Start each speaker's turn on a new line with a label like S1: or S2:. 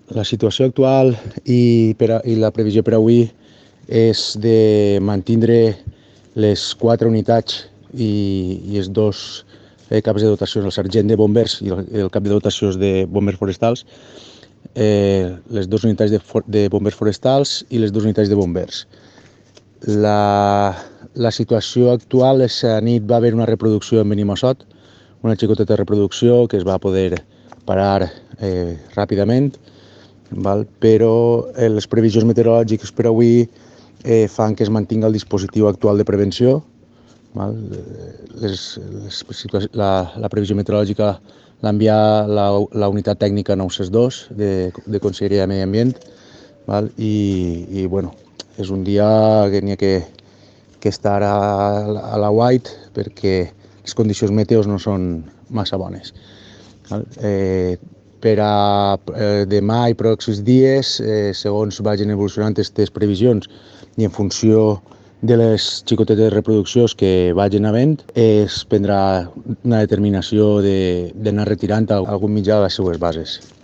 S1: La situació actual i la previsió per avui és de mantindre les 4 unitats i els dos caps de dotacions, el sergent de bombers i el cap de dotacions de bombers forestals, les 2 unitats de bombers forestals i les 2 unitats de bombers. La situació actual és que a nit va haver una reproducció en Benimassot, una xicoteta reproducció que es va poder parar ràpidament, però les previsions meteorològiques per avui fan que es mantingui el dispositiu actual de prevenció. La previsió meteorològica l'ha enviat la unitat tècnica 962 de Conselleria de Medi Ambient, i bueno, és un dia que n'hi ha que estar a la white perquè les condicions meteos no són massa bones. Per a demà i pròxims dies, segons vagin evolucionant aquestes previsions i en funció de les xicotetes reproduccions que vagin havent, es prendrà una determinació d'anar retirant algun mitjà de les seues bases.